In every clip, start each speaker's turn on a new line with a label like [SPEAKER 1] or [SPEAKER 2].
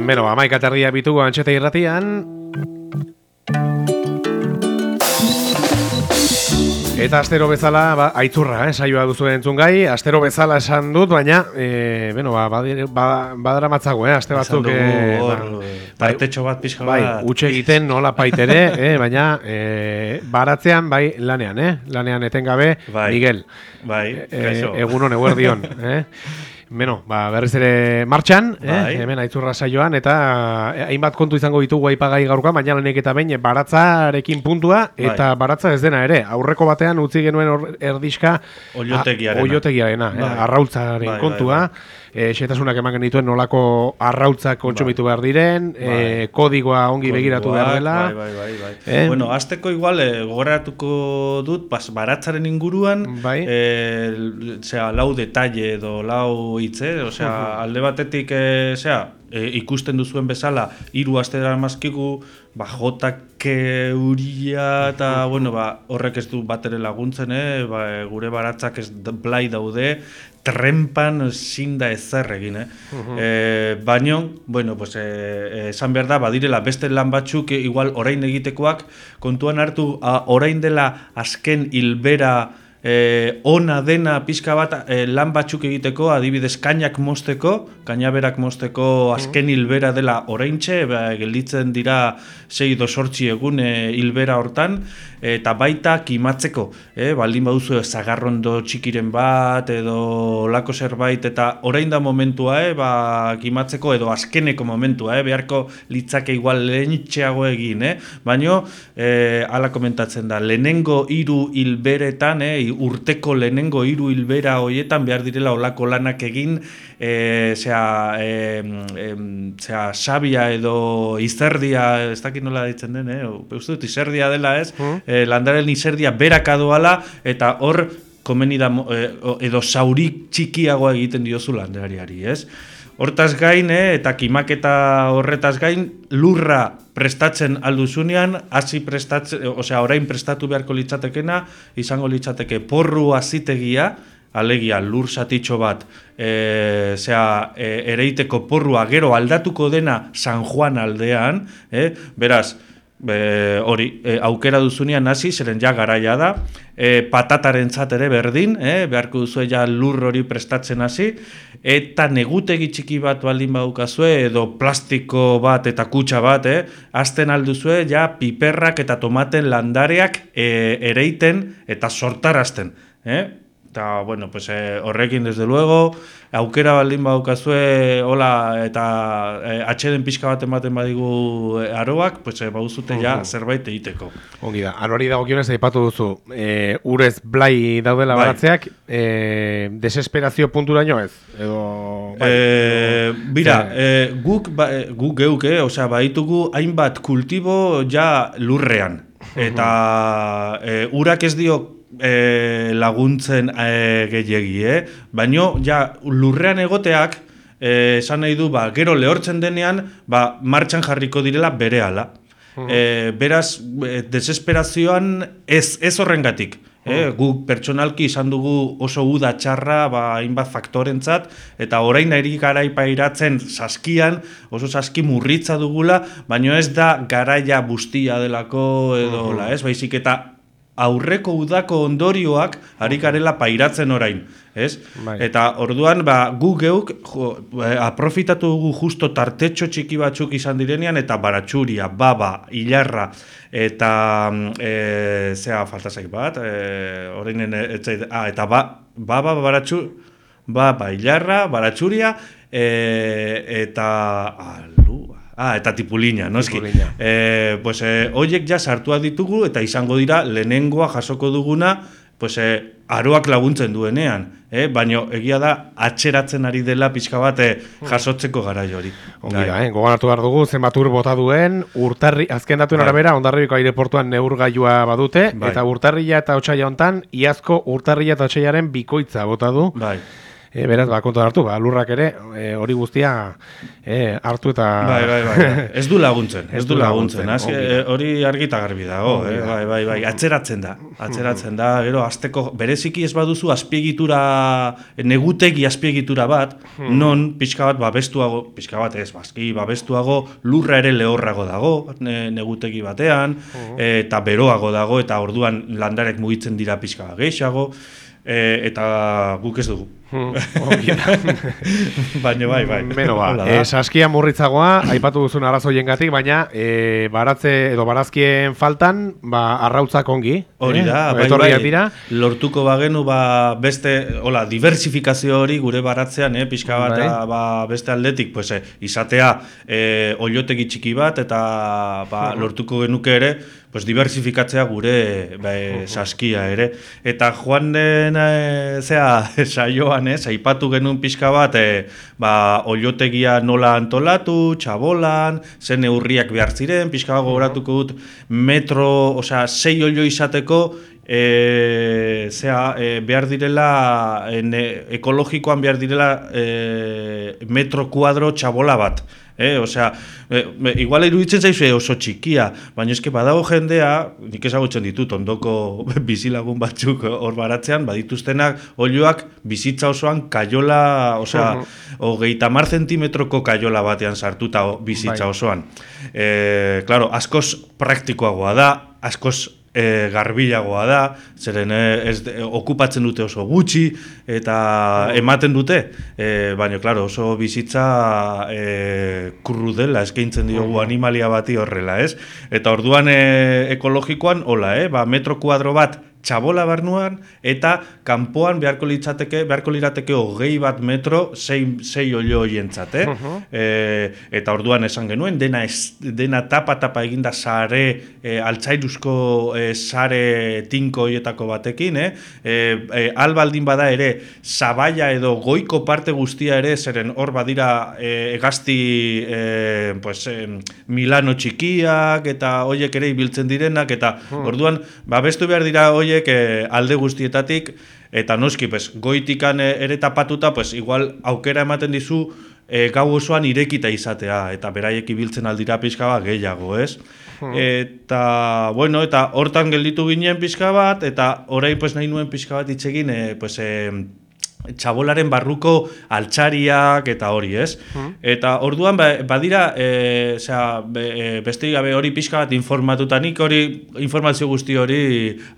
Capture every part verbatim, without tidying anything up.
[SPEAKER 1] Beno, amaika terdia bitugu Antxeta irratian. Eta astero bezala, ba, aitzurra, eh, saioa duzu entzun gai, astero bezala esan dut, baina, e, bueno, ba, ba, badara matzago, eh, aste batzuk,
[SPEAKER 2] eh, ba, partetxo bat pixka
[SPEAKER 1] bai,
[SPEAKER 2] bat.
[SPEAKER 1] utxe egiten nola paitere, eh, baina, e, baratzean, bai, lanean, eh, lanean etengabe, bai, Miguel.
[SPEAKER 2] Bai,
[SPEAKER 1] e, egunon, eguerdion, eh. Beno, ba, berriz ere martxan, eh, hemen aitzurra saioan, eta hainbat kontu izango ditugu aipagai gaurkoa, baina lanek eta behin baratzarekin puntua, eta bai, baratza ez dena ere. Aurreko batean utzi genuen erdiska oiotegiarena, eh, arrautzaren bai, kontua, bai, bai. E, xetasunak eman genituen nolako arrautzak kontsumitu bai, behar diren, bai, e, kodigoa ongi Kodiguak, begiratu behar dela.
[SPEAKER 2] Bai, bai, bai, bai. Eh? Bueno, azteko igual, e, gogoratuko dut, pas, baratzaren inguruan, bai, e, zera, lau detalle edo lau hitze, osea, uh-huh, alde batetik, e, zera, e, ikusten duzuen bezala, hiru aste daramazkigu, ba, jotake uria eta, uh-huh, bueno, ba, horrek ez du batere laguntzen, eh? Ba, gure baratzak ez blai daude, trempan zin da ezer egin, eh? Uh-huh. E, baino, bueno, pues, e, esan behar da, badirela beste lan batzuk, e, igual orain egitekoak, kontuan hartu, a, orain dela azken hilbera E, ona dena pixka bat e, lan batzuk egiteko, adibidez kainak mozteko, kainaberak mozteko azken hilbera dela oraintxe, ba, gelditzen dira sei edo zortzi egun e, hilbera hortan, eta baita kimatzeko, e, baldin baduzu zagarrondo txikiren bat edo lako zerbait, eta orain da momentua, e, ba, kimatzeko edo azkeneko momentua, e, beharko litzake igual lehentxeago egin, e, baino, e, ala komentatzen da, lehenengo hiru hilberetan, e, urteko lehenengo hiru hilbera hoietan behar direla olako lanak egin, e, zera, e, e, zera, sabia edo izerdia, ez dakit nola ditzen den, eh? Uste dut izerdia dela ez, mm. e, landaren izerdia berak adoala, eta hor komeni da, e, edo saurik txikiagoa egiten diozu landareari, ez? Hortaz gain, eh, eta kimaketa horretaz gain, lurra prestatzen alduzunean, hasi prestatzen, osea, orain prestatu beharko litzatekena, izango litzateke porru azitegia, alegia lur satitxo bat, e, zera, e, ereiteko porrua gero aldatuko dena San Juan aldean, eh, beraz, Be, hori, e, aukera duzunean hasi, zeren ja garaia da, e, patataren ere berdin, e, beharko duzu ja lur hori prestatzen hasi, eta negutegi txiki bat baldin badukazue, edo plastiko bat eta kutxa bat, e, azten alduzue ja piperrak eta tomaten landareak e, ereiten eta sortarazten, eh? Eta, bueno, pues, eh, horrekin, desde luego, aukera baldin badukazue, hola, eta eh, atxeden pixka bat ematen badigu eh, aroak, pues, eh, bauzute ja zerbait egiteko.
[SPEAKER 1] Ongi da, arori dagokionez aipatu duzu, eh, urez blai daudela bai, baratzeak, eh, desesperazio punturaino ez? Edo, bai,
[SPEAKER 2] eh, edo, bira, eh, guk, ba, guk geuk, eh, osea, baitugu hainbat kultibo ja lurrean, eta eh, urak ez dio E, laguntzen e, gehiegi, eh? Baino, ja, lurrean egoteak, e, esan nahi du, ba, gero lehortzen denean, ba, martxan jarriko direla berehala. Uh-huh. E, beraz, e, desesperazioan ez, ez horrengatik. Eh? Uh-huh. Guk pertsonalki izan dugu oso uda txarra, ba, hainbat faktorentzat, eta orain eri garaipairatzen saskian, oso saski murritza dugula, baino ez da garaia bustia delako edo, uh-huh, la, ez? Baizik eta aurreko udako ondorioak ari garela pairatzen orain, ez? Bai. Eta orduan, ba, gu geuk jo, aprofitatu dugu justo tartetxo txiki batzuk izan direnean, eta baratxuria, baba, hilarra, eta e, zea falta zaik bat, e, orainen, etzait, ah, eta ba, baba, baratxu, baba, hilarra, baratxuria, e, eta alu, Ah, eta tipulina, no eski. Eh, pues, eh, oiek ja sartua ditugu eta izango dira lehenengoa jasoko duguna, pues, eh, aroak laguntzen duenean. Eh? Baina egia da atxeratzen ari dela pixka bat eh, jasotzeko garai hori.
[SPEAKER 1] Ongi da, eh? Goganatu behar dugu, zenbat ur bota duen, urtarri, azken datuen bai, arabera, Hondarribiko aireportuan neurgailua badute, bai, eta urtarrila eta otsaila hontan, iazko urtarrila eta otsailaren bikoitza bota du.
[SPEAKER 2] Bai.
[SPEAKER 1] E, beraz, ba, kontu hartu, ba, lurrak ere, hori e, guztia e, hartu eta...
[SPEAKER 2] Bai, bai, bai, ez du laguntzen, ez du laguntzen, hori argita garbi dago, eh? bai, bai, bai, atzeratzen da, atzeratzen da, gero, azteko, bereziki ez baduzu azpiegitura, negutegi azpiegitura bat, non pixka bat babestuago, pixka bat ez, bazki, babestuago, lurra ere lehorrago dago, ne, negutegi batean, eta beroago dago, eta orduan landarek mugitzen dira pixka bat gehiago, e, eta guk ez dugu. Baina bai, bai.
[SPEAKER 1] Beno ba, e, saskia murritzagoa, aipatu duzun arazoiengatik, baina e, baratze edo barazkien faltan, ba, arrautzak ongi.
[SPEAKER 2] Hori da,
[SPEAKER 1] eh?
[SPEAKER 2] bai, bai, dira. Lortuko bagenu, ba, beste, hola, diversifikazio hori gure baratzean, eh, pixka bat, bai. ba, beste aldetik, pues, eh, izatea eh, oilotegi txiki bat, eta ba, lortuko genuke ere, pues, diversifikatzea gure ba, saskia ere. Eta joan den, e, zea, saioa, aipatu genuen pixka bat, e, ba, oiotegia nola antolatu, txabolan, zen neurriak behar ziren, pixka bat gogoratuko dut, metro, osea, sei oio izateko, e, zea, e, behar direla, en, e, ekologikoan behar direla e, metro kuadro txabola bat. Eh, osea, e, igual iruditzen zaizu oso txikia, baina eske badago jendea, nik ezagutzen ditut ondoko bizilagun batzuk hor baratzean, badituztenak oiloak bizitza osoan kaiola, osea, hogeita hamar zentimetroko kaiola batean sartuta bizitza osoan. Eh, claro, askoz praktikoagoa da, askoz E, garbilagoa da, zeren e, ez, e, okupatzen dute oso gutxi eta ematen dute, e, baina claro, oso bizitza e, krudela eskaintzen diogu animalia bati horrela, ez? Eta orduan e, ekologikoan, hola, eh? ba, metro kuadro bat txabola barnuan, eta kanpoan beharko litzateke, beharko lirateke hogei bat metro, sei, sei olio hoientzat, eh? Uh-huh. e, eta orduan esan genuen, dena, ez, dena tapa-tapa eginda sare, e, altzairuzko e, sare tinko hoietako batekin, eh? E, e, albaldin bada ere, zabaia edo goiko parte guztia ere, zeren hor badira e, egazti e, pues, e, Milano txikiak, eta hoiek ere ibiltzen direnak, eta uh-huh. orduan, babestu behar dira hoiek alde guztietatik, eta noski, pues, goitikan ere tapatuta, pues, igual aukera ematen dizu e, gau osoan irekita izatea, eta beraiek ibiltzen aldira pixka bat gehiago, ez? Hmm. Eta, bueno, eta hortan gelditu ginen pixka bat, eta orain pues, nahi nuen pixka bat itxegin, e, pues, e, txabolaren barruko altxariak eta hori, ez? Hmm. Eta orduan badira, e, zera, be, beste gabe hori pixka bat informatuta, nik hori informazio guzti hori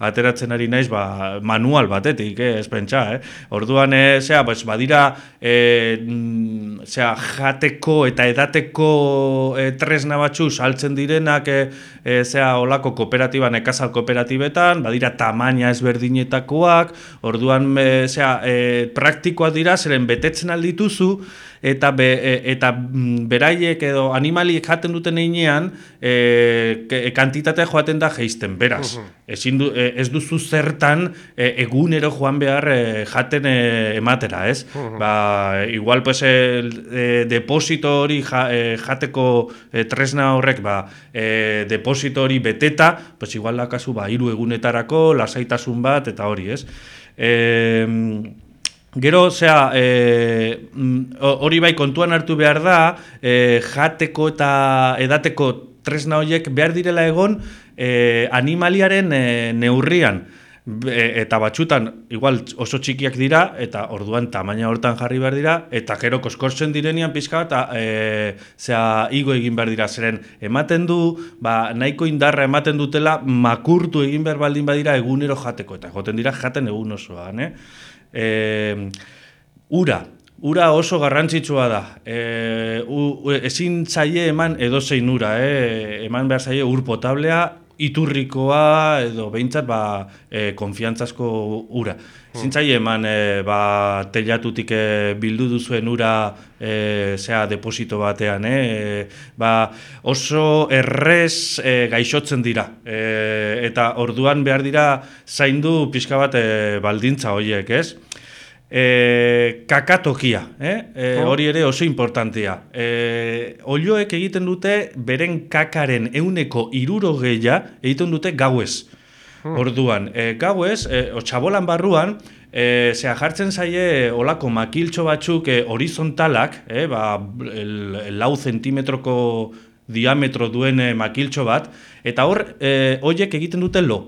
[SPEAKER 2] ateratzen ari naiz ba, manual batetik, eh, ez pentsa, eh? Orduan, e, zera, pues, badira e, zera, jateko eta edateko e, tresna batzu saltzen direnak, e, e, zera, olako kooperatiba, nekazal kooperatibetan, badira tamaina ezberdinetakoak, orduan, e, zera, e, praktikoak dira, zeren betetzen aldituzu, eta, be, eta beraiek edo animaliek jaten duten einean, e, kantitatea joaten da jeisten, beraz. Uh-huh. Ezin du, ez duzu zertan e, egunero joan behar e, jaten e, ematera, ez? Uh-huh. Ba, igual, pues, e, e, deposito hori ja, e, jateko e, tresna horrek, ba, e, deposito hori beteta, pues, igual dakazu, ba, hiru egunetarako, lasaitasun bat, eta hori, ez? E, Gero, zera, hori e, bai kontuan hartu behar da, e, jateko eta edateko tresna horiek behar direla egon e, animaliaren e, neurrian. E, eta batxutan, igual oso txikiak dira, eta orduan tamaina hortan jarri behar dira, eta gero koskortzen direnian pixka, eta e, zera, igo egin behar dira, zeren ematen du, ba, nahiko indarra ematen dutela, makurtu egin behar baldin badira egunero jateko, eta joten dira jaten egun osoan, eh? E, ura, ura oso garrantzitsua da, e, u, ezin zaie eman edozein ura, e, eman behar zaie ur potablea, iturrikoa edo behintzat ba, e, konfiantzazko ura. Ezin zaie eman e, ba, telatutik e, bildu duzuen ura e, zea deposito batean, e, ba, oso errez e, gaixotzen dira, e, eta orduan behar dira zaindu pixka bat e, baldintza horiek, ez? E, kakatokia, eh? e, hori ere oso importantea. E, Olioek egiten dute beren kakaren ehuneko hirurogeia egiten dute gauez. Orduan, e, gauez, e, txabolan barruan, E, zera, jartzen zaie olako makiltxo batzuk e, horizontalak, e, ba, el, el lau zentimetroko diametro duen e, makiltxo bat, eta hor, e, horiek egiten dute lo.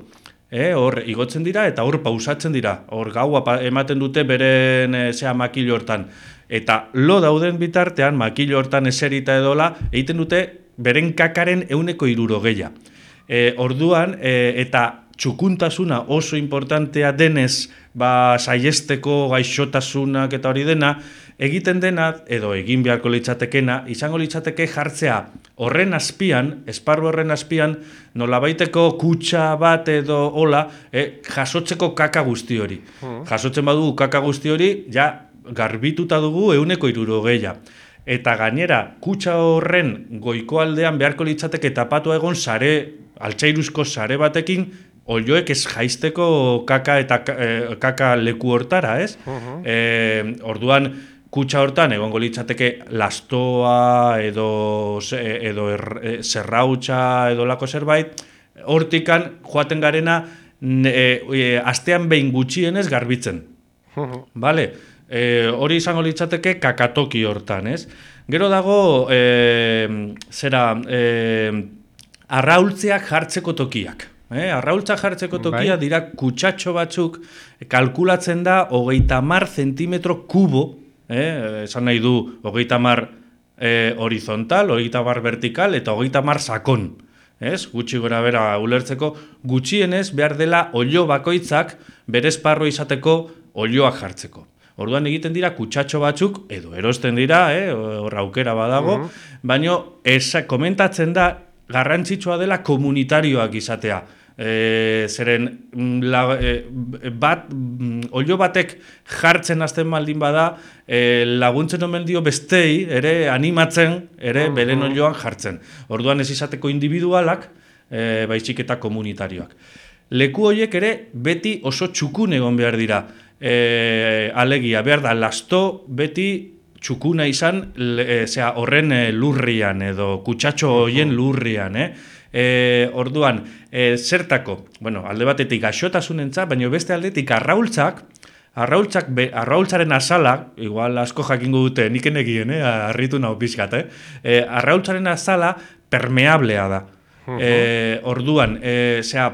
[SPEAKER 2] E, hor, igotzen dira eta hor pausatzen dira. Hor gaua ematen dute beren e, zera makilo hortan. Eta lo dauden bitartean, makilo hortan eserita edola, egiten dute beren kakaren euneko hirurogeia. E, orduan, e, eta txukuntasuna oso importantea denez, ba, saiesteko gaixotasunak eta hori dena, egiten dena, edo egin beharko litzatekena, izango litzateke jartzea horren azpian, esparru horren azpian, nolabaiteko kutxa bat edo hola, e, jasotzeko kaka guzti hori. Mm. Jasotzen badugu kaka guzti hori, ja, garbituta dugu euneko hirurogeia. Eta gainera, kutxa horren goiko aldean beharko litzateke tapatu egon sare, altzairuzko sare batekin, olioek ez jaisteko kaka eta eh, kaka leku hortara, ez? Uh-huh. eh, orduan, kutxa hortan egongo litzateke lastoa edo, edo er, zerrautxa edo lako zerbait, hortikan joaten garena e, e, astean behin gutxienez garbitzen. Uh-huh. Vale? E, hori izango litzateke kakatoki hortan, ez? Gero dago, e, zera, e, arraultzeak jartzeko tokiak. Eh, arraultzak jartzeko tokia bai. Dira kutsatxo batzuk, kalkulatzen da hogeita hamar zentimetro kubo, eh, esan nahi du hogeita hamar eh, horizontal, hogeita hamar vertikal eta hogeita hamar sakon. Ez? Gutxi gora bera ulertzeko, gutxienez behar dela olio bakoitzak bere esparro izateko olioak jartzeko. Orduan egiten dira kutsatxo batzuk, edo erosten dira, eh, hor aukera badago, uh-huh. baina esa, komentatzen da garrantzitsua dela komunitarioak izatea. E, zeren la, e, bat, olio batek jartzen hasten baldin bada, e, laguntzen omen dio bestei, ere animatzen, ere uh-huh. beren olioan jartzen. Orduan ez izateko individualak, e, baizik eta komunitarioak. Leku horiek ere beti oso txukun egon behar dira. E, alegia, behar da, lasto beti txukuna izan, e, zera, horren e, lurrian, edo kutsatxo horien lurrian, eh? E, orduan, e, zertako, bueno, alde batetik gaixotasunentza, baina beste aldetik arraultzak, arraultzak, be, arraultzaren azala, igual asko jakingo dute, niken egien, eh, harritu nahu pixkat, eh? E, arraultzaren azala permeablea da. Uh-huh. E, orduan, e, zera,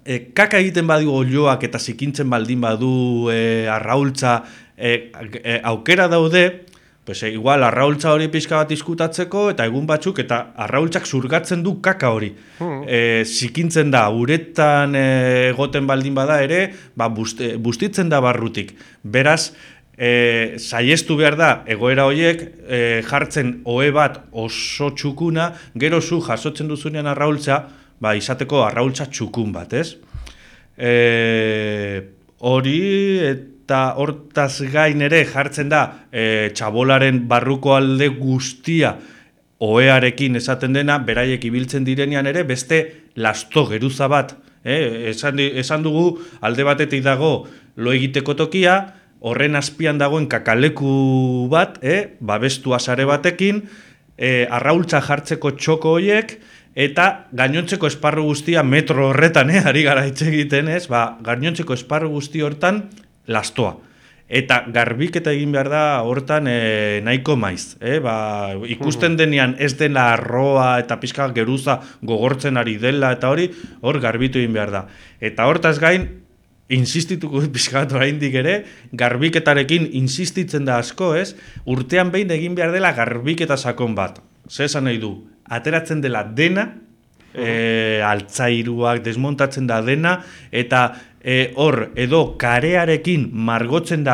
[SPEAKER 2] e, kaka egiten badu olioak eta zikintzen baldin badu e, arraultza, e, e, aukera daude, pues, e, igual arraultza hori pixka bat diskutatzeko eta egun batzuk eta arraultzak zurgatzen du kaka hori. Hmm. E, zikintzen da, uretan egoten baldin bada ere, ba, busti, bustitzen da barrutik. Beraz, e, saiestu behar da, egoera horiek e, jartzen ohe bat oso txukuna, gero zu jasotzen duzunean arraultza, ba, izateko arraultza txukun bat, ez? E, hori, eta hortaz gain ere jartzen da e, txabolaren barruko alde guztia ohearekin esaten dena, beraiek ibiltzen direnean ere, beste lasto geruza bat. Eh? Esan, esan dugu alde batetik dago lo egiteko tokia, horren azpian dagoen kakaleku bat, eh? Babestua sare batekin, e, arraultza jartzeko txoko horiek, eta gainontzeko esparru guztia metro horretan, eh? Ari gara hitz egiten, ez? Ba, gainontzeko esparru guzti hortan, lastoa. Eta garbiketa egin behar da hortan e, nahiko maiz. Eh? Ba, ikusten denean ez dela arroa eta pixka geruza gogortzen ari dela eta hori, hor garbitu egin behar da. Eta hortaz gain, insistituko pixka bat oraindik ere, garbiketarekin insistitzen da asko, ez? Urtean behin egin behar dela garbiketa sakon bat. Zer esan nahi du? Ateratzen dela dena, e, altzairuak desmontatzen da dena, eta E, hor, edo karearekin margotzen da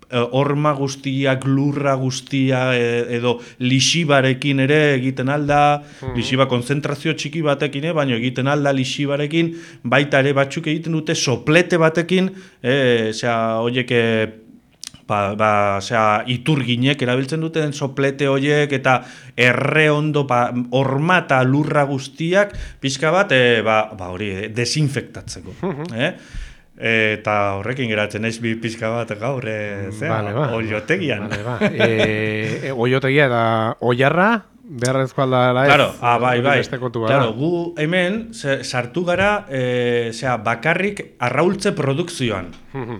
[SPEAKER 2] e, horma guztiak, lurra guztia, e, edo lixibarekin ere egiten alda, mm-hmm. lixiba konzentrazio txiki batekin, e, baina egiten alda lixibarekin, baita ere batzuk egiten dute soplete batekin, e, zera, horiek, e, ba, ba, zera, iturginek erabiltzen duten soplete horiek, eta erre ondo, ba, horma eta lurra guztiak, pixka bat, e, ba, ba, hori, desinfektatzeko, mm-hmm. eh? Eta horrekin geratzen ez bi pixka bat gaur, e, zera, vale, ba. Oiotegian. Vale, ba. e, e, oiotegia eta oiarra,
[SPEAKER 1] beharrezko aldala ez.
[SPEAKER 2] Claro, ah, bai, bai. Claro, gu hemen sartu gara e, zera, bakarrik arraultze produkzioan.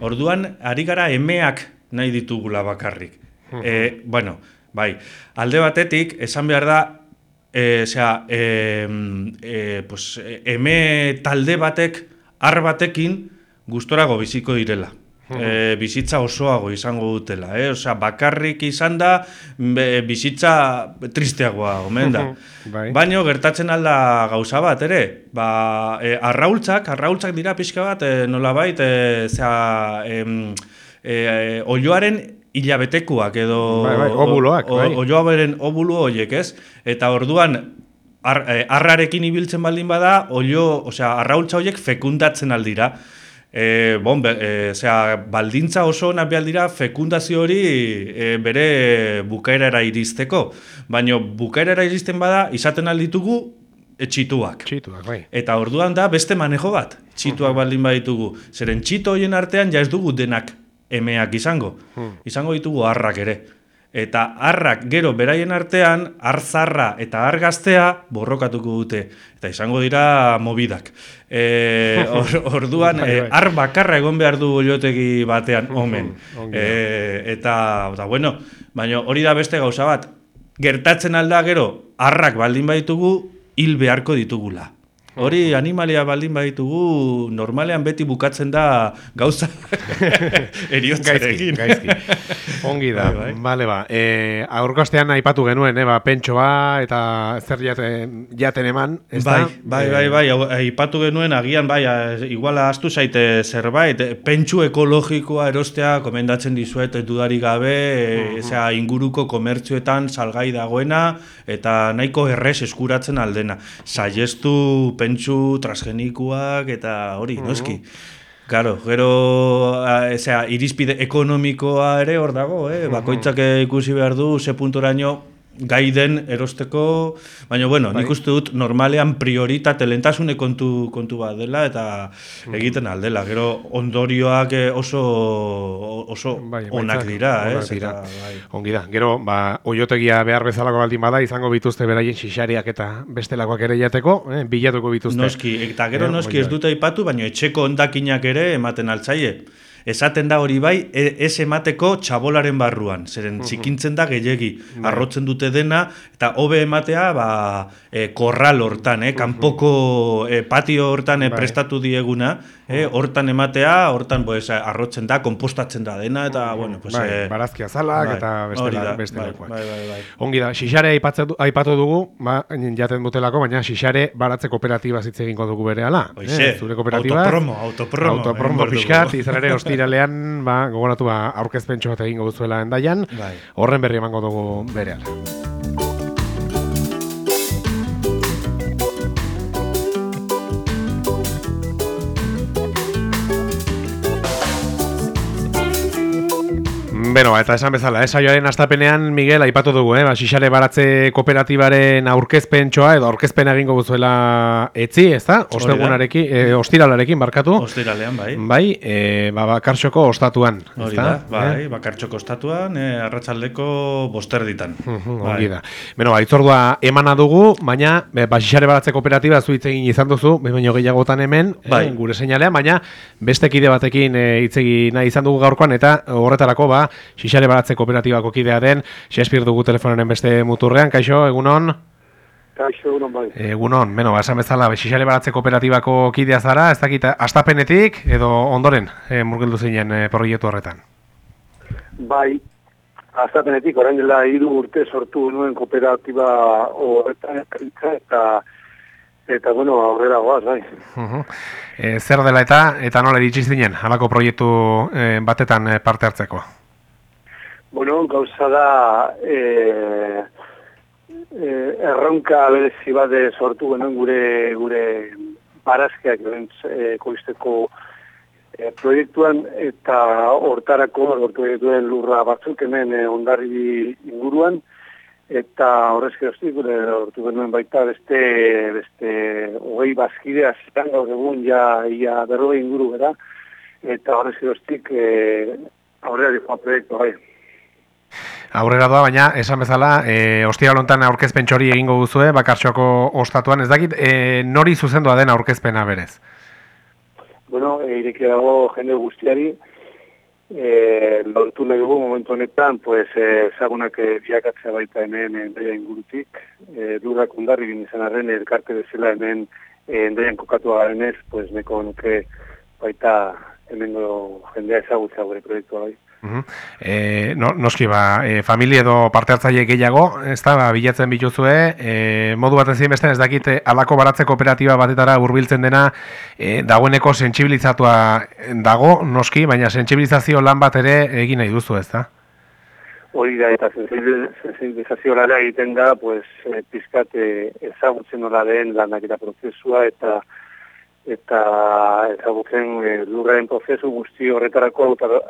[SPEAKER 2] Orduan, ari gara emeak nahi ditugula bakarrik. e, bueno, bai, alde batetik, esan behar da, e, zera, e, e, pues, eme talde batek, ar batekin, gustorago biziko direla. E, bizitza osoago izango dutela, eh? Osea, bakarrik izan da be, bizitza tristeagoa omen da. Bai. Baina gertatzen alda gauza bat, ere, ba, e, arraultzak, arraultzak dira pixka bat, e, nolabait, e, zera, e, e, olioaren hilabetekuak edo
[SPEAKER 1] bai, bai, obuloak, bai.
[SPEAKER 2] Olioaren obulu horiek, ez? Eta orduan, ar, e, arrarekin ibiltzen baldin bada, olio, osea, arraultza horiek fekundatzen aldira. E, bon, be, e, zera, baldintza oso onak behar dira fekundazio hori e, bere bukaerara iristeko. Baina bukaerara iristen bada, izaten alditugu txituak.
[SPEAKER 1] Txituak, bai.
[SPEAKER 2] Eta orduan da beste manejo bat, txituak baldin baditugu. Zeren txito horien artean ja ez dugu denak emeak izango. Izango ditugu harrak ere. Eta harrak gero beraien artean, arzarra eta argaztea borrokatuko dute. Eta izango dira mobidak. E, or, orduan, e, ar bakarra egon behar du oliotegi batean, omen. E, eta, eta, bueno, baina hori da beste gauza bat. Gertatzen alda gero, harrak baldin baditugu, hil beharko ditugula. Hori animalia baldin baditugu, normalean beti bukatzen da gauza eriotzarekin.
[SPEAKER 1] Gaizki, gaizki. Ongi da, bai, bai. Bale ba. E, aurko astean aipatu genuen, eh, ba, pentsoa eta zer jaten, jaten eman. Ez
[SPEAKER 2] bai,
[SPEAKER 1] da?
[SPEAKER 2] bai, bai, bai, aipatu genuen, agian, bai, iguala astu zaite zerbait, pentsu ekologikoa erostea komendatzen dizuet dudarik gabe, e, zera, inguruko komertzioetan salgai dagoena, eta nahiko errez eskuratzen aldena. Saiestu pentsu transgenikoak eta hori, uh-huh. noski. Claro, gero, e, zera, irizpide ekonomikoa ere hor dago, eh? Bakoitzak ikusi behar du, ze puntoraino gai den erosteko, baina, bueno, bai. Nik uste dut normalean prioritate lentasune kontu, kontu bat dela eta egiten aldela. Gero ondorioak oso, oso bai, onak dira, eh?
[SPEAKER 1] Dira. Eta, bai. Ongi da. Gero, ba, oiotegia behar bezalako baldin bada, izango bituzte beraien xixariak eta bestelakoak ere jateko, eh? Bilatuko bituzte.
[SPEAKER 2] Noski, eta gero eh, noski ez dute aipatu, baina etxeko ondakinak ere ematen altzaie. Esaten da hori bai, ez emateko txabolaren barruan, zeren txikintzen da gehiegi, arrotzen dute dena, eta hobe ematea ba, e, korral hortan, eh, kanpoko e, patio hortan e, prestatu dieguna, eh, hortan ematea, hortan pues, arrotzen da, kompostatzen da dena, eta bueno, pues...
[SPEAKER 1] Bai,
[SPEAKER 2] e,
[SPEAKER 1] barazki azalak
[SPEAKER 2] bai,
[SPEAKER 1] eta bestela,
[SPEAKER 2] bai, bai, bai, bai.
[SPEAKER 1] Ongi da, xixare aipatu dugu, ba, jaten dutelako, baina xixare baratze kooperatiba zitze egingo dugu berehala.
[SPEAKER 2] Oixe, eh, zure kooperatiba. Autopromo, autopromo.
[SPEAKER 1] Autopromo pixkat, izan ere ostiralean, ba, gogoratu ba, aurkezpentxo bat egingo duzuela Hendaian, bai. Horren berri emango dugu berehala. Beno, eta esan bezala, eh, saioaren astapenean, Miguel, aipatu dugu, eh, ba, xixare baratze kooperatibaren aurkezpentxoa, edo aurkezpen egingo guzuela etzi, ez da? Ostegunarekin, eh, ostiralarekin, barkatu.
[SPEAKER 2] Ostiralean, bai.
[SPEAKER 1] Bai, eh, ba, bakartxoko ostatuan.
[SPEAKER 2] Hori da, bai, eh? bakartxoko ostatuan, eh, arratsaldeko bosterditan.
[SPEAKER 1] Uh-huh, bai. Ongi da. Beno, ba, itzordua emana dugu, baina, ba, xixare baratze kooperatiba zuitz egin izan duzu, baino gehiagotan hemen, bai. eh, gure seinalean, baina beste kide batekin eh, itzegi nahi izan dugu gaurkoan, eta horretarako, ba, xixare baratze kooperatibako kidea den, Xespir dugu telefonaren beste muturrean, kaixo, egunon?
[SPEAKER 3] Kaixo, egunon bai.
[SPEAKER 1] Egunon, beno, esan bezala, xixare baratze kooperatibako kidea zara, ez dakit, astapenetik edo ondoren e, murgildu zinen e, proiektu horretan?
[SPEAKER 3] Bai, astapenetik, orain dela hiru urte sortu nuen kooperatiba horretan eta eta, bueno, aurrera goaz, bai.
[SPEAKER 1] Uh-huh. e, zer dela eta, eta nola iritsi zinen, halako proiektu e, batetan e, parte hartzeko?
[SPEAKER 3] Bueno, gauza da e, e, erronka berezi bat sortu genuen gure gure barazkiak e, koizteko e, proiektuan eta hortarako lortu dituen lurra batzuk hemen e, Hondarribia inguruan eta horrez geroztik gure lortu genuen baita beste beste hogei bazkide azitan gaur egun ja ia berrogei inguru gara eta horrez geroztik e, aurrera dihoa proiektu bai.
[SPEAKER 1] Aurrera doa, baina esan bezala, e, ostiral hontan aurkezpen txori egingo duzue, Bakartxoko ostatuan, ez dakit, e, nori zuzendua den aurkezpena berez?
[SPEAKER 3] Bueno, e, ireki dago jende guztiari, e, lortu nahi dugu momentu honetan, pues, ezagunak e, biakatzea baita hemen Endaia ingurutik, e, lurrak ondarri bin izan arren, elkarte bezala hemen e, Endaian kokatu garenez, pues, neko nuke baita hemengo jendea ezagutzea gure proiektua bai.
[SPEAKER 1] Uh-huh. E, no, noski ba, e, familia edo parte hartzaile gehiago, ez da, ba, bilatzen bituzue, e, modu bat ezin beste ez dakit, alako baratze kooperatiba batetara hurbiltzen dena, e, dagoeneko sentsibilizatua dago, noski, baina sentsibilizazio lan bat ere egin nahi duzu, ez da?
[SPEAKER 3] Hori da, eta sensibilizazio lara egiten da, pues, e, pizkat e, ezagutzen nola den lanak eta prozesua, eta eta ezagutzen e, lurraren prozesu guzti horretarako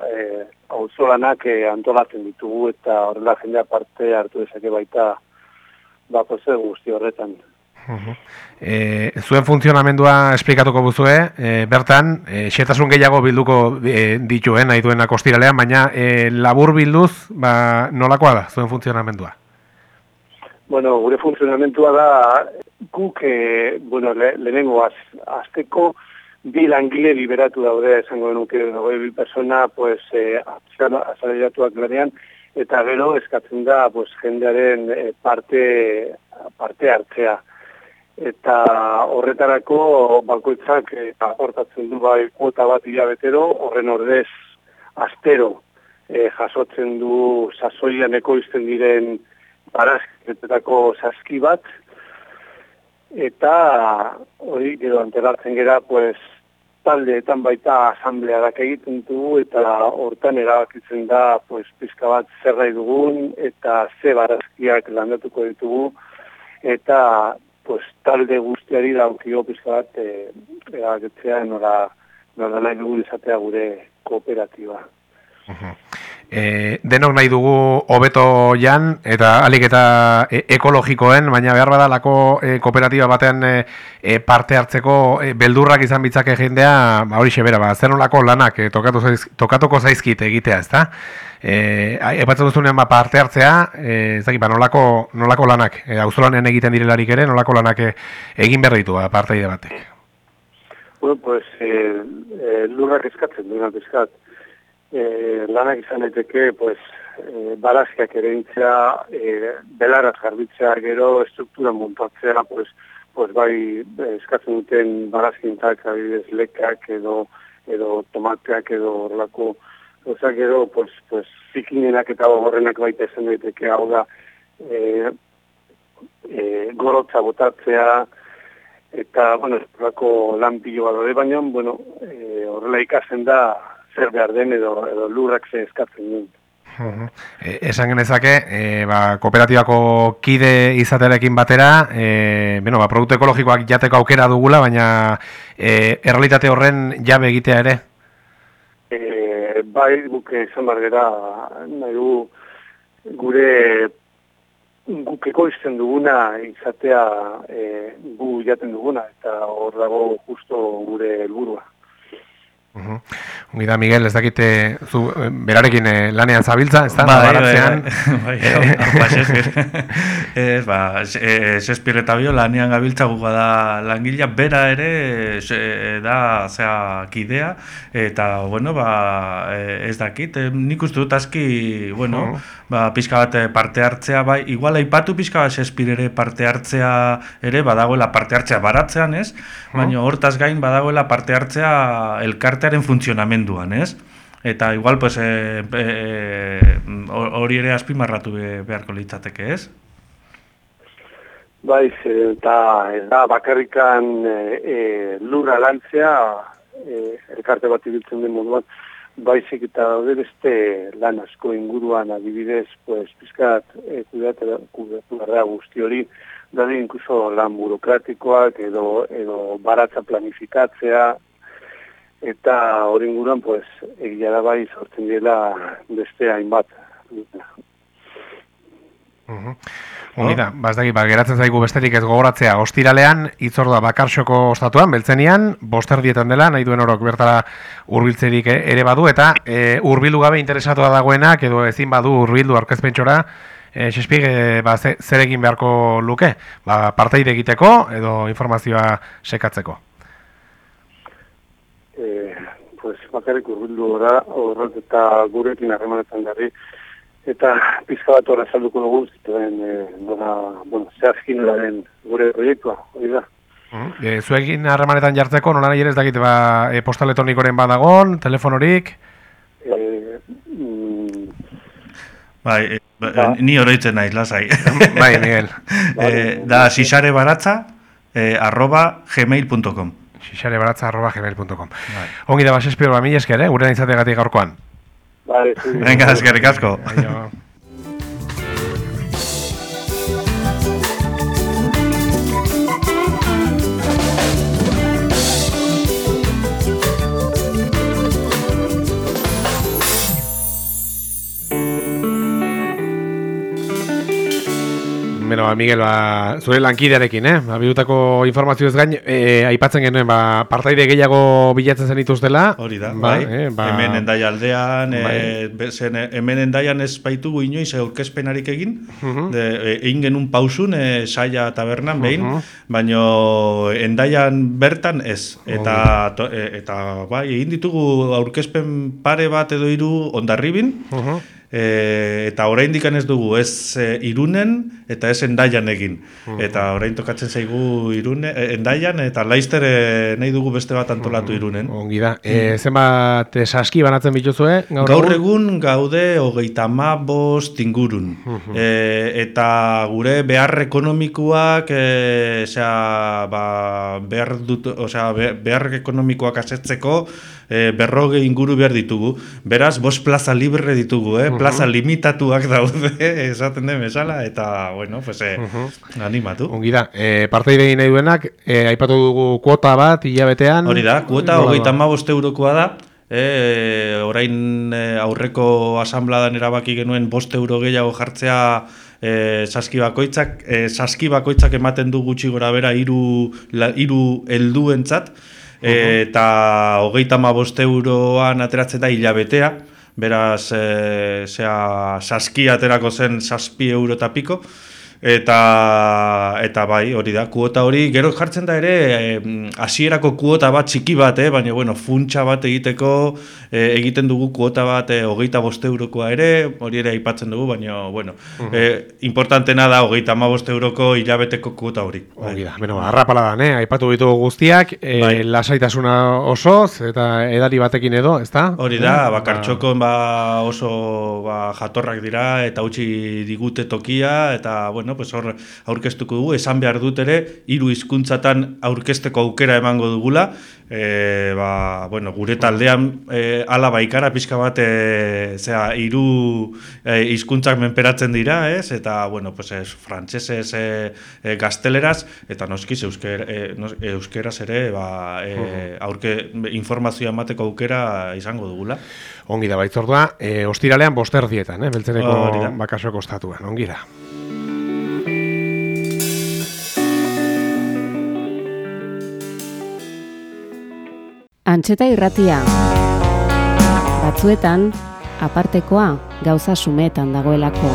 [SPEAKER 3] e, auzolanak e, antolatzen ditugu, eta horrela jendea parte hartu dezake baita ba, prozesu guzti horretan.
[SPEAKER 1] Uh-huh. E, zuen funtzionamendua esplikatuko buzue, e, bertan, e, xetasun gehiago bilduko e, dituen, nahi duenak ostiralean, baina e, labur bilduz, ba, nolakoa da, zuen funtzionamendua?
[SPEAKER 3] Bueno, gure funtzionamentua da, guk, e, bueno, le, lehenengo az, azteko, bi langile liberatu daude, esango denuke, nogei bi persona, pues, e, azaleratuak lanean, eta gero eskatzen da, pues, jendearen e, parte, parte hartzea. Eta horretarako bakoitzak e, aportatzen du bai kuota bat hilabetero, horren ordez astero e, jasotzen du sasoian ekoizten diren barazketetako saski bat, eta hori gero antelatzen gera, pues, taldeetan baita asamblearak egiten dugu, eta hortan erabakitzen da, pues, pizka bat zer nahi dugun, eta ze barazkiak landatuko ditugu, eta pues, talde guztiari daukio pizka bat e, erabakitzea nola, nola nahi dugu izatea gure kooperatiba.
[SPEAKER 1] Uh-huh. E, denok nahi dugu hobeto jan eta alik eta e, ekologikoen, baina behar badalako e, kooperatiba batean e, e, parte hartzeko e, beldurrak izan bitzake jendea, ba, hori xebera, ba, zer nolako lanak e, tokatu zaiz, tokatuko zaizkit egitea, ez da? E, epatzen duzunean ba, parte hartzea, e, ez dakit, ba, nolako, nolako lanak, e, auzolanean egiten direlarik ere, nolako lanak e, egin behar ditu, ba, parteide batek?
[SPEAKER 3] Bueno, pues, e, e, lurrak eskatzen duena eskat. E, lanak izan daiteke, pues, e, barazkiak erintzea, e, belaraz garbitzea, gero estruktura montatzea, pues, pues bai eskatzen duten barazkintak, adibidez lekak edo, edo tomateak edo horrelako, oza, gero, pues, pues, zikinenak eta horrenak baita izan daiteke, hau da, e, e, gorotza botatzea, eta, bueno, horrelako lan pilo bat dode, baina, bueno, e, horrela ikasen da, zer behar den edo, edo lurrak ze eskatzen duen.
[SPEAKER 1] Uh-huh. E, esan genezake, e, ba, kooperatibako kide izatearekin batera, e, bueno, ba, produktu ekologikoak jateko aukera dugula, baina e, errealitate horren jabe egitea ere?
[SPEAKER 3] E, bai, guk izan bargera, nahi du gure guk ekoizten duguna izatea e, gu jaten duguna, eta hor dago justo gure helburua.
[SPEAKER 1] Uh-huh. Ongi da, Miguel, ez dakite zu berarekin eh, lanean zabiltza, ez da?
[SPEAKER 2] Bai, baratzean. Bai, ez, ba, Shakespeare eta bio lanean gabiltza guga da langilea, bera ere da, zera, kidea, eta, bueno, ba, ez dakit, nik uste dut aski, bueno, uh-huh. ba, pixka bat parte hartzea, bai, igual aipatu pixka bat Shakespeare ere parte hartzea ere, badagoela parte hartzea baratzean, ez? Baina hortaz gain badagoela parte hartzea elkarte funtzionamenduan, ez? Eta igual, pues, hori e, e, ere azpimarratu beharko litzateke, ez?
[SPEAKER 3] Baiz, eta ez da bakarrikan e, e, lurra lantzea, e, elkarte bat ibiltzen den moduan, baizik eta daude beste lan asko inguruan, adibidez, pues, pizkat e, kudatu gara guzti hori, daude inkluso lan burokratikoak edo, edo baratza planifikatzea, eta hori inguruan, pues, egia da bai sortzen dela beste hainbat.
[SPEAKER 1] Honi da, bazdaki, ba, geratzen zaigu besterik ez gogoratzea, ostiralean, itzordua bakarxoko ostatuan, beltzenian, bosterdietan dela, nahi duen orok bertara hurbiltzerik ere badu, eta e, hurbildu gabe interesatua dagoenak, edo ezin badu hurbildu aurkezpentsora, e, Xespig, e, ba, ze, zer egin beharko luke, ba, parteide egiteko, edo informazioa sekatzeko.
[SPEAKER 3] Eh, pues, bakarrik hurbildu gora, horret eta gurekin harremanetan garri, eta pizka bat horra salduko dugu, zituen, e, nola, bueno, zehazkin laren gure proiektua, hori da.
[SPEAKER 1] E, zuekin harremanetan jartzeko, nola nahi ere ez dakit, ba, e, postal elektronikoren badagon, telefonorik?
[SPEAKER 3] E, mm,
[SPEAKER 2] bai, e, ba. Ni oroitzen naiz, lasai.
[SPEAKER 1] Bai, Miguel.
[SPEAKER 2] e, da, xixarebaratza, e, arroba gmail punto com.
[SPEAKER 1] xixarebaratza, arroba gmail punto com. Bai. Ongi da, Xespig, ba, mila esker, eh? Gure nahizategatik gaurkoan.
[SPEAKER 3] Vale, sí.
[SPEAKER 2] Venga, eskerrik asko.
[SPEAKER 1] Bueno, Miguel, ba, zure lankidearekin, eh? Ba, bidutako informazioez gain, e, aipatzen genuen, ba, partaide gehiago bilatzen zen ituztela.
[SPEAKER 2] Hori da, ba, bai. Eh, ba, hemen Hendaia aldean, bai. e, zen, hemen Hendaian ez baitugu inoiz aurkezpenarik egin, uh-huh. de, e, egin genuen pausun, e, saia tabernan behin, uh-huh. baino Hendaian bertan ez. Eta, to, e, eta bai, egin ditugu aurkezpen pare bat edo hiru Hondarribin, uh-huh. E, eta oraindik ez dugu ez e, Irunen eta ez Hendaian egin. Uh-huh. Eta orain tokatzen zaigu Irune, e, Hendaian eta Laster e, nahi dugu beste bat antolatu uh-huh. Irunen.
[SPEAKER 1] Ongi da. E, zenbat saski banatzen bituzue?
[SPEAKER 2] Gaur, gaur egun gaude hogeita hamabost ingurun. Uh-huh. E, eta gure behar ekonomikoak e, osea, ba, behar, dut, osea, behar ekonomikoak asetzeko e, berroge inguru behar ditugu. Beraz, bost plaza libre ditugu, eh? Plaza limitatuak daude, esaten den bezala, eta, bueno, pues, eh, uh-huh. animatu.
[SPEAKER 1] Ongi da, e, parteide nahi duenak, e, aipatu dugu kuota bat, hilabetean.
[SPEAKER 2] Hori da, kuota hogeita hamabost eurokoa da, e, orain e, aurreko asambladan erabaki genuen bost euro gehiago jartzea e, saski bakoitzak, e, saski bakoitzak ematen du gutxi gora bera hiru hiru helduentzat, e, eta hogeita hamabost euroan ateratzen da hilabetea. Beraz, e, zera, saski aterako zen zazpi euro eta piko, eta, eta bai, hori da, kuota hori, gero jartzen da ere, hasierako e, kuota bat txiki bat, eh, baina, bueno, funtsa bat egiteko, e, egiten dugu kuota bat e, hogeita bost eurokoa ere, hori ere aipatzen dugu, baina, bueno, uh-huh. e, importantena da hogeita hamabost euroko hilabeteko kuota hori.
[SPEAKER 1] Hori da, bueno, arrapaladan, eh, aipatu ditugu guztiak, e, bai. Lasaitasuna osoz, eta edari batekin edo, ezta?
[SPEAKER 2] Hori da, eh? Bakartxokon ba, oso ba, jatorrak dira, eta utzi digute tokia, eta, bueno, pues hor aurkeztuko dugu, esan behar dut ere, hiru hizkuntzatan aurkezteko aukera emango dugula, e, ba, bueno, gure taldean e, ala baikara pixka bat, e, zera, hiru e, hizkuntzak menperatzen dira, ez? Eta, bueno, pues ez, frantsesez, e, e, gazteleraz, eta noskiz eusker, e, nos, euskeraz ere, ba, e, aurke informazioa emateko aukera izango dugula.
[SPEAKER 1] Ongi da, baitzordua, e, ostiralean bosterdietan, eh, beltzereko oh, bakasoko ostatuan, ongi da.
[SPEAKER 4] Antxeta irratia. Batzuetan, apartekoa gauza sumetan dagoelako.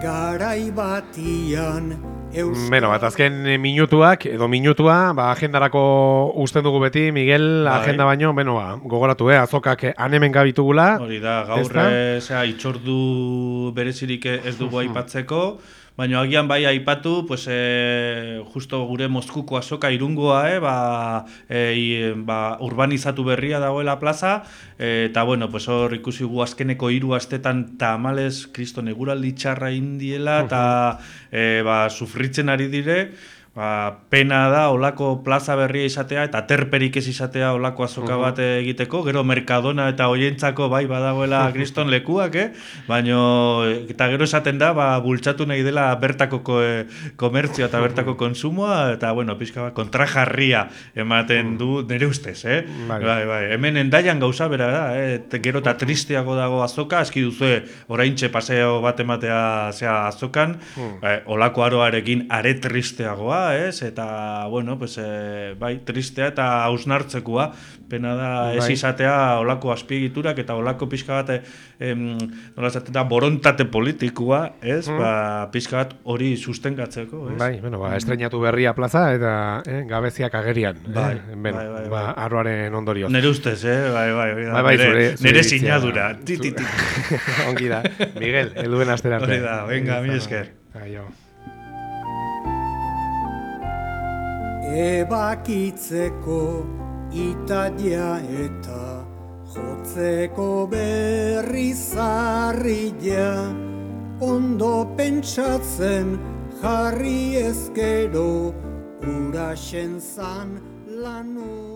[SPEAKER 5] Garai batian
[SPEAKER 1] Beno, bat azken minutuak, edo minutua, ba, agendarako usten dugu beti, Miguel, bai. Agenda baino, beno, ba, gogoratu, eh, azokak anemen gabitugula.
[SPEAKER 2] Hori da, gaur, zera, itxordu berezirik ez dugu aipatzeko, baina agian bai aipatu, pues, e, justo gure Moskuko azoka irungoa, eh, ba, e, ba, urbanizatu berria dagoela plaza, e, eta, bueno, pues, hor ikusi gu azkeneko hiru astetan tamales, kriston eguraldi txarra indiela, eta e, ba, sufritzen ari dire, Ba, pena da olako plaza berria izatea eta terperik ez izatea olako azoka bat egiteko, gero Mercadona eta hoientzako bai badagoela kriston lekuak, eh? Baina, eta gero esaten da, ba, bultzatu nahi dela bertako ko, e, komertzioa eta bertako konsumoa, eta, bueno, pixka bat, kontrajarria ematen du nire ustez, eh? Bai, bai, bai. Hemen endaian gauza bera da, eh? Gero eta tristeago dago azoka, eski duzue oraintxe paseo bat ematea zea azokan, eh, olako aroarekin are tristeagoa, ez? Eta, bueno, pues, eh, bai, tristea eta hausnartzekoa, pena da bai. Ez izatea olako azpiegiturak eta olako pixka bat, em, nola esaten da, borontate politikoa, ez? Mm. Ba, pixka bat hori sustengatzeko, ez?
[SPEAKER 1] Bai, bueno, ba, estrenatu berria plaza eta eh, gabeziak agerian,
[SPEAKER 2] bai,
[SPEAKER 1] eh? Ben,
[SPEAKER 2] bai, bai,
[SPEAKER 1] ba,
[SPEAKER 2] bai.
[SPEAKER 1] Arroaren ondorioz.
[SPEAKER 2] Nere ustez, eh? Bai, bai, bai,
[SPEAKER 1] bai, bai,
[SPEAKER 2] nere,
[SPEAKER 1] zure, zure
[SPEAKER 2] nere sinadura. Ti, ti, ti.
[SPEAKER 1] Ongi da. Miguel, helduen asterarte.
[SPEAKER 2] Hori da, venga, mi esker.
[SPEAKER 1] Aio.
[SPEAKER 5] Ebakitzeko italia eta jotzeko berri zarria, ondo pentsatzen jarri ezkero uraxen zan lanu.